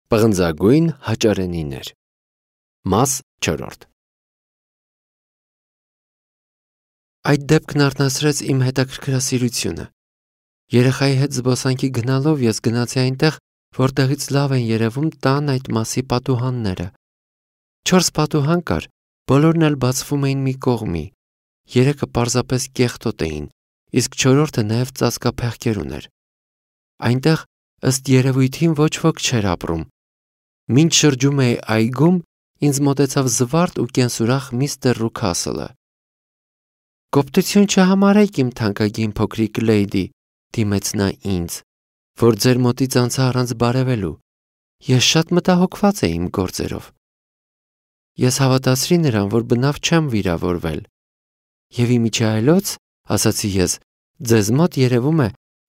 Պղնձագույն հաճարենիներ։ Մաս 4 Այդ դեպքն արթնացրեց իմ հետաքրքրասիրությունը։ Երեխայի հետ զբոսանքի գնալով ես գնացի այնտեղ, որտեղից լավ են երևում տան այդ մասի պատուհանները։ 4 պատուհան կար, բոլորն էլ բացվում էին մի կողմի։ 3-ը պարզապես կեղտոտ էին, իսկ 4-րդը նաև ծածկափեղկեր ուներ։ Այնտեղ ըստ երևույթին ոչ ոք չէր ապրում։ Մինչ շրջում էի այգում, ինձ մոտեցավ զվարթ ու կենսուրախ միստր Ռուքասլը։ «Կոպտություն չհամարեք, իմ թանկագին փոքրիկ լեյդի», դիմեց նա ինձ, «որ ձեր մոտից անցա առանց բարևելու։ Ես շատ մտահոգված էի իմ գործերով»։ Ես հավատացրի նրան, որ բնավ չեմ վիրավորվել։ «Եվ իմիջիայլոց, ասացի ես, ձեզ մոտ երևում է,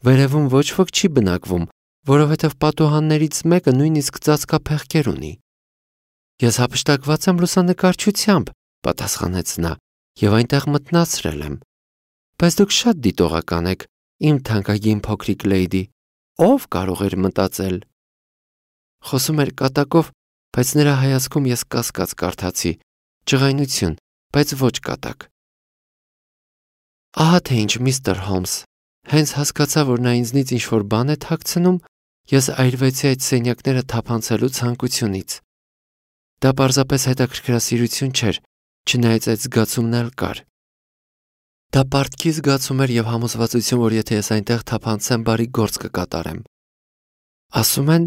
վերևում ոչ ոք չի բնակվում, որովհետև պատուհաններից մեկը նույնիսկ ծածկափեղկեր ունի»։ «Ես հափշտակված եմ լուսանկարչությամբ», պատասխանեց նա, «և այնտեղ մտնացրել եմ»։ «Բայց դուք շատ դիտողական եք, իմ թանկագին փոքրիկ լեյդի, ով կարող էր մտածել»։ Խոսում էր կատակով, բայց նրա հայացքում ես կասկած կարդացի, ջղայնություն, բայց ոչ կատակ։ «Ահա թե ինչ, միստր Հոլմս, հենց հասկացա, որ նա ինձնից ինչ-որ բան է թաքցնում, ես այրվեցի այդ սենյակները թափանցելու ցանկությունից։ Դա պարզապես հետաքրքրասիրություն չէր, չնայած այդ զգացումն էլ կար։ Դա պարտքի զգացում էր և համոզվածություն, որ եթե ես այնտեղ թափանցեմ, բարի գործ կկատարեմ։ Ասում են,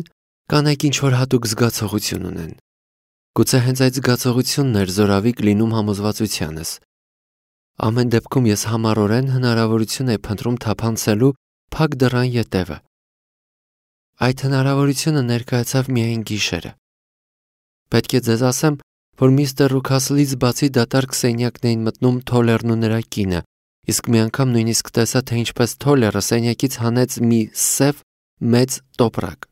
կանայք ինչ-որ հատուկ զգացողություն ունեն։ Գուցե հենց այդ զգացողությունն էր զորավիք լինում համոզվածությանս։ Ամեն դեպքում ես համառորեն հնարավորություն էի փնտրում թափանցելու փակ դռան ետևը։ Այդ հնարավորությունը ներկայացավ միայն գիշերը։ Պետք է ձեզ ասեմ, որ միստր Ռուքասլից բացի դատարկ սենյակն էին մտնում Թոլերն ու նրա կինը, իսկ մի անգամ նույնիսկ տեսա, թե ինչպես Թոլերը սենյակից հանեց մի սև մեծ տոպրակ։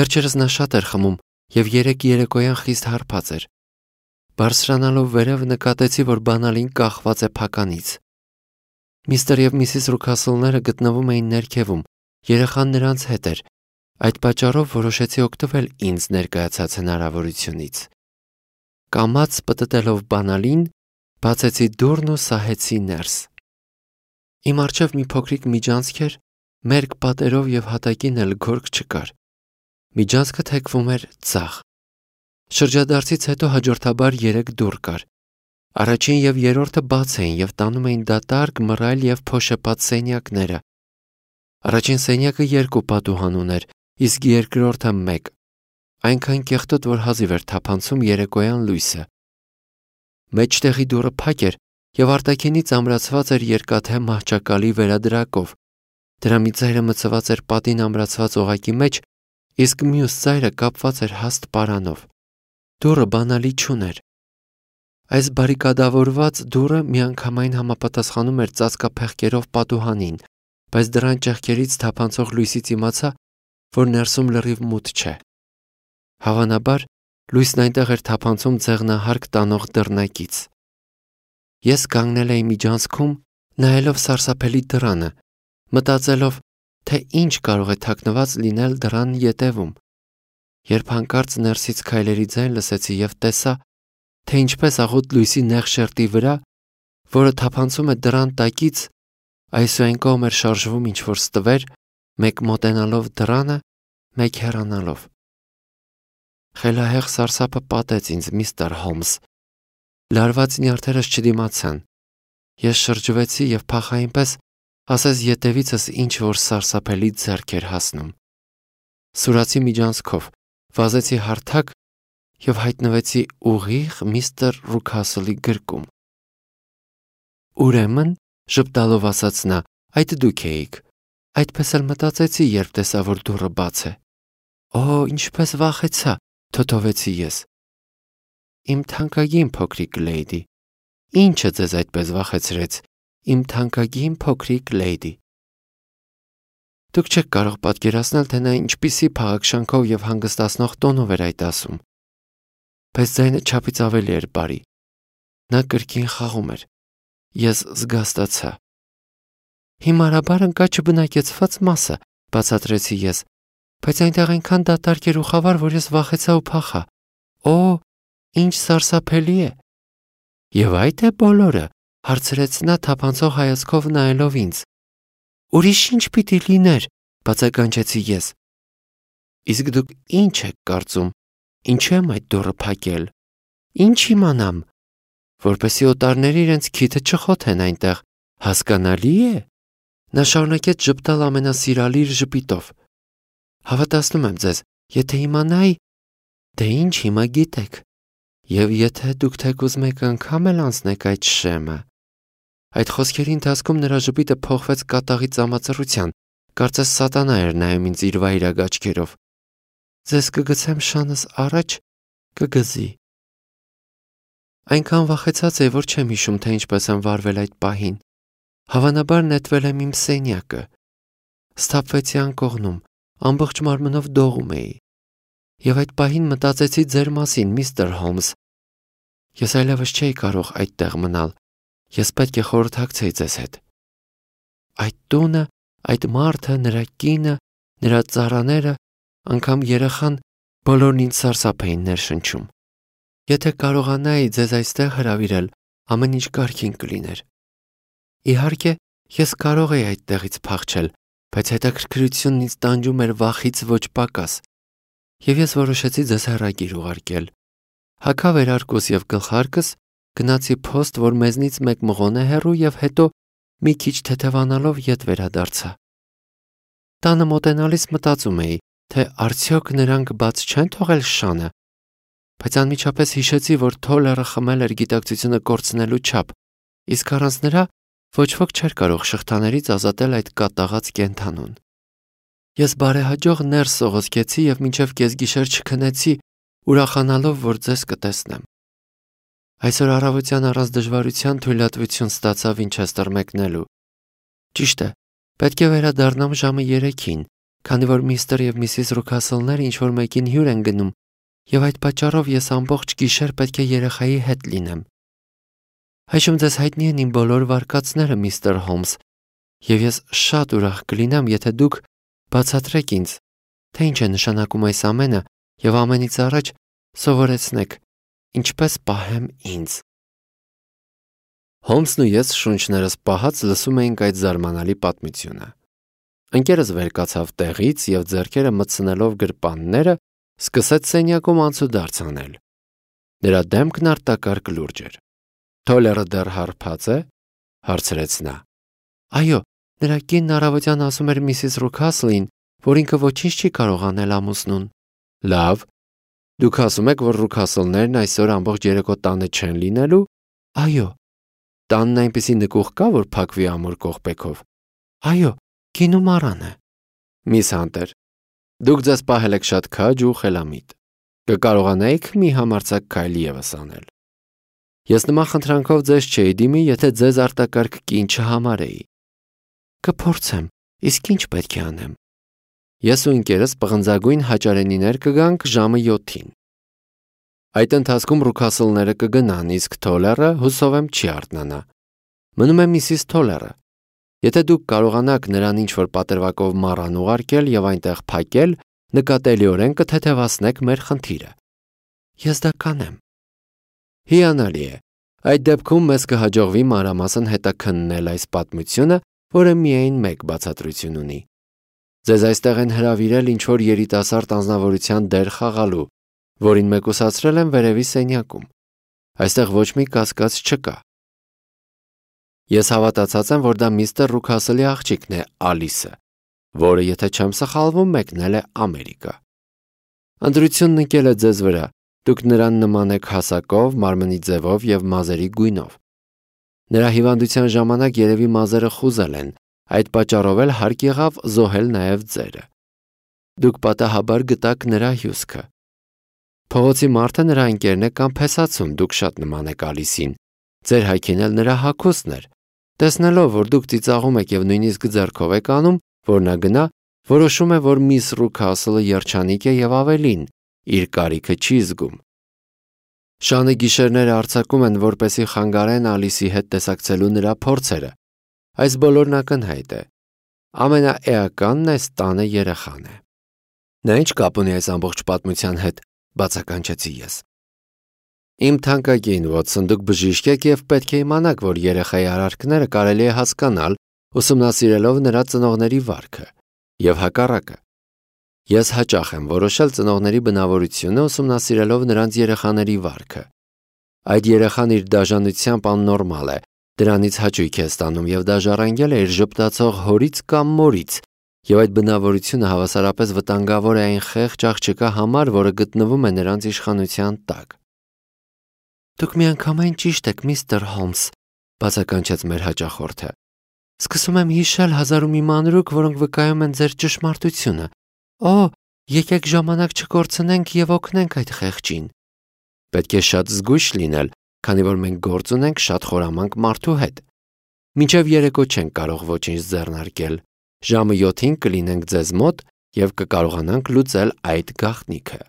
Վերջերս նա շատ էր խմում և երեկոյան խիստ հարբած էր։ Բարձրանալով վերև նկատեցի, որ բանալին կախված է փականից։ Միստր և միսիս Ռուքասլները գտնվում էին ներքևում, երեխան նրանց հետ էր, այդ պատճառով որոշեցի օգտվել ինձ ներկայացած հնարավորությունից։ Կամաց պտտելով բանալին, բացեցի դուռն ու սահեցի ներս։ Իմ առջև մի փոքրիկ միջանցք էր, մերկ պատերով և հատակին էլ գորգ չկար։ Միջանցքը թեքվում էր ձախ։ Շրջադարձից հետո հաջորդաբար 3 դուռ կար։ Առաջին և երրորդը բաց էին և տանում էին դատարկ, մռայլ և փոշեպատ սենյակները։ Առաջին սենյակը 2 պատուհան ուներ, իսկ երկրորդը 1, այնքան կեղտոտ, որ հազիվ էր թափանցում երեկոյան լույսը։ Մեջտեղի դուռը փակ էր և արտաքինից ամրացված էր երկաթե մահճակալի վերադրակով։ Դրա մի ծայրը մցված էր պատին ամրացված օղակի մեջ, իսկ մյուս ծայրը կապված էր հաստ պարանով։ Դուռը բանալի չուներ։ Այս բարիկադավորված դուռը միանգամայն համապատասխանում էր ծածկափեղկերով պատուհանին, բայց դռան ճեղքերից թափանցող լույսից իմացա, որ ներսում լրիվ մութ չէ։ Հավանաբար, լույսն այնտեղ էր թափանցում ձեղնահարկ տանող դռնակից։ Ես կանգնել էի միջանցքում, նայելով սարսափելի դռանը, մտածելով, թե ինչ կարող է թաքնված լինել դռան ետևում։ Երբ հանկարծ ներսից քայլերի ձայն լսեցի և տեսա, թե ինչպես աղոտ լույսի նեղ շերտի վրա, որը թափանցում է դռան տակից, այսուայն կողմ էր շարժվում ինչ-որ ստվեր, մեկ մոտենալով դռանը, մեկ հեռանալով։ Խելահեղ սարսափը պատեց ինձ, միստր Հոլմս։ Լարված նյարդերս չդիմացան։ Ես շրջվեցի և փախա այնպես, ասես ետևիցս ինչ-որ սարսափելի ձեռք էր հասնում։ Սուրացի միջանցքով, վազեցի հարթակ և հայտնվեցի ուղիղ միստր Ռուքասլի գրկում։ «Ուրեմն», ժպտալով ասաց նա, «այդ դուք էիք։ Այդպես էլ մտածեցի, երբ տեսա, որ դուռը բաց է»։ «Օ, ինչպես վախեցա», թոթովեցի ես։ «Իմ թանկագին փոքրիկ լեյդի, ի՞նչը ձեզ այդպես վախեցրեց, իմ թանկագին փոքրիկ լեյդի»։ Դուք չեք կարող պատկերացնել, թե նա ինչպիսի փաղաքշանքով և հանգստացնող տոնով էր այդ ասում։ Բայց ձայնը չափից ավելի էր բարի։ Նա կրկին խաղում էր։ Ես զգաստացա։ «Հիմարաբար ընկա չբնակեցված մասը», բացատրեցի ես, բայց այնտեղ այնքան դատարկ էր ու խավար, որ ես վախեցա ու փախա։ Օ, ինչ սարսափելի է։ Եվ այդ է բոլորը, հարցրեց նա թափանցող հայացքով նայելով ինձ։ Ուրիշ ինչ պիտի լիներ, բացականչեցի ես։ Իսկ դուք ինչ եք կարծում, ինչու եմ այդ դուռը փակել։ Ինչ իմանամ, որպեսզի օտարները իրենց քիթը չխոթեն այնտեղ, հասկանալի է։ Նա շարունակեց ժպտալ ամենասիրալիր ժպիտով։ Հավատացնում եմ ձեզ, եթե իմանայի, դե ինչ հիմա գիտեք, եւ եթե դուք թեկուզ մեկ անգամ էլ անցնեք այդ շեմը։ Այդ խոսքերի ընթացքում նրա ժպիտը փոխվեց կատաղի ծամածռության, կարծես սատանա էր նայում ինձ իր վայրագ աչքերով։ Ձեզ կգցեմ շանս առաջ, կգզի։ Այնքան վախեցած էի, որ չեմ հիշում, թե ինչպես եմ վարվել այդ պահին։ Հավանաբար նետվել եմ իմ սենյակը։ Սթափվեցի անկողնում, ամբողջ մարմնով դողում էի։ Եվ այդ պահին մտածեցի ձեր մասին, միստր Հոլմս։ Ես այլևս չէի կարող այդտեղ մնալ։ Ես պետք է խորհրդակցեի ձեզ հետ։ Այդ տունը, այդ մարդը, նրա կինը, նրա ծառաները, անգամ երեխան, բոլորն ինձ սարսափ էին ներշնչում։ Եթե կարողանայի ձեզ այստեղ հրավիրել, ամեն ինչ կարգին կլիներ։ Իհարկե, ես կարող էի այդտեղից փախչել, բայց հետաքրքրությունն ինձ տանջում էր վախից ոչ պակաս։ Եվ ես որոշեցի ձեզ հեռագիր ուղարկել։ Հագավերարկուս եւ գլխարկս գնացի փոստ, որ մեզնից մեկ մղոն է հեռու եւ հետո մի քիչ թեթևանալով ետ վերադարձա։ Տանը մոտենալիս մտածում էի, թե արդյոք նրանք բաց չեն թողել շանը, բայց անմիջապես հիշեցի, որ Թոլերը խմել էր գիտակցությունը կորցնելու չափ, իսկ առանց նրա ոչ ոք չէր կարող շղթաներից ազատել այդ կատաղած կենդանուն։ Ես բարեհաջող ներս սողոսկեցի եւ մինչեւ կեսգիշեր չքնեցի, ուրախանալով, որ ձեզ կտեսնեմ։ Այսօր առավոտյան առանց դժվարության թույլատվություն ստացա Վինչեսթեր մեկնելու։ Ճիշտ է, պետք է վերադառնամ ժամը 3-ին, քանի որ միստր եւ միսիս Ռուքասլները ինչ-որ մեկին հյուր են գնում, եւ այդ պատճառով ես ամբողջ գիշեր պետք է երեխայի հետ լինեմ։ Այժմ ձեզ հայտնի են իմ բոլոր վարկածները, միստր Հոլմս, եւ ես շատ ուրախ կլինեմ, եթե դուք բացատրեք ինձ, թե ինչ է նշանակում այս ամենը եւ ամենից առաջ սովորեցնեք, ինչպես պահեմ ինձ։ Հոլմսն ու ես շունչներս պահած լսում էինք այդ զարմանալի պատմությունը։ Ընկերս վեր կացավ տեղից եւ ձեռքերը մտցնելով գրպանները սկսեց սենյակում անցուդարձ անել։ Նրա դեմքն արտակարգ լուրջ էր։ Թոլերը դեռ հարբած է, հարցրեց նա։ Այո, նրա կինն առավոտյան ասում էր միսիս Ռուքասլին, որ ինքը ոչինչ չի կարող անել ամուսնուն։ Լավ, դուք ասում եք, որ Ռուքասլներն այսօր ամբողջ երեկո տանը չեն լինելու։ Այո։ Տանն այնպիսի նկուղ կա, որ փակվի ամուր կողպեքով։ Այո, գինու մառան է։ Միս Հանտեր, դուք ձեզ պահել եք շատ քաջ ու խելամիտ։ Կկարողանայիք մի համարձակ քայլ ևս անել։ Ես նման խնդրանքով ձեզ չէի դիմի, եթե ձեզ արտակարգ կին չհամարեի։ Կփորձեմ, իսկ ինչ պետք է անեմ։ Ես ու ընկերս պղնձագույն հաճարենիներ կգանք ժամը 7-ին։ Այդ ընթացքում Ռուքասլները կգնան, իսկ Թոլերը հուսով եմ չի արթնանա։ Մնում է միսիս Թոլերը։ Եթե դուք կարողանաք նրան ինչ-որ պատրվակով մառան ուղարկել եւ այնտեղ փակել, նկատելիորեն կթեթևացնեք մեր խնդիրը։ Ես դա կանեմ։ Հիանալի է։ Այդ դեպքում մեզ կհաջողվի մանրամասն հետաքննել այս պատմությունը, որը միայն մեկ բացատրություն ունի։ Ձեզ այստեղ են հրավիրել ինչ-որ երիտասարդ անձնավորության դեր խաղալու, որին մեկուսացրել են վերևի սենյակում։ Այստեղ ոչ մի կասկած չկա։ Ես հավատացած եմ, որ դա միստր Ռուքասլի աղջիկն է, Ալիսը, որը, եթե չեմ սխալվում, մեկնել է Ամերիկա։ Ընտրությունն ընկել է ձեզ վրա, դուք նրան նման եք հասակով, մարմնի ձևով եւ մազերի գույնով։ Նրա հիվանդության ժամանակ երևի մազերը խուզել են, այդ պատճառով էլ հարկ եղավ զոհել նաեւ ձերը։ Դուք պատահաբար գտաք նրա հյուսքը։ Փողոցի մարդը նրա ընկերն է կամ փեսացուն, դուք շատ նման եք Ալիսին։ Ձեր հայքին էլ նրա հագուստն էր։ Տեսնելով, որ դուք ծիծաղում եք եւ նույնիսկ ձեռքով եք անում, որ նա գնա, որոշում է, որ միս Ռուքասլը երջանիկ է եւ ավելին, իր կարիքը չի զգում։ Շանը գիշերները արձակում են, որպեսի խանգարեն Ալիսի հետ տեսակցելու նրա փորձերը։ Այս բոլորն ակնհայտ է։ Ամենաէականն այս տանը երեխան է։ Նա ինչ կապ ունի այս ամբողջ պատմության հետ, բացականչեցի ես։ Իմ թանկագին Վոթսոն, դուք բժիշկ եք եւ պետք է իմանաք, որ երեխայի արարքները կարելի է հասկանալ, ուսումնասիրելով նրա ծնողների վարքը, եւ հակառակը։ Ես հաճախ եմ որոշել ծնողների բնավորությունը ուսումնասիրելով նրանց երեխաների վարքը։ Այդ երեխան իր դաժանությամբ աննորմալ է, դրանից հաճույք է ստանում եւ դա ժառանգել է իր ժպտացող հորից կամ մորից, եւ այդ բնավորությունը հավասարապես վտանգավոր է այն խեղճ աղջկա համար, որը գտնվում է նրանց իշխանության տակ։ Դուք միանգամայն ճիշտ եք, միստր Հոլմս, բացականչեց մեր հաճախորդը։ Սկսում եմ հիշել 1001 մանրուք, որոնք վկայում են ձեր ճշմարտությունը։ Օ, եկեք ժամանակ չկորցնենք եւ օգնենք այդ խեղճին։ Պետք է շատ զգույշ լինել, քանի որ մենք գործ ունենք շատ խորամանկ մարդու հետ։ Մինչև երեկո չենք կարող ոչինչ ձեռնարկել։ Ժամը 7-ին կլինենք ձեզ մոտ եւ կկարողանանք լուծել այդ գաղտնիքը։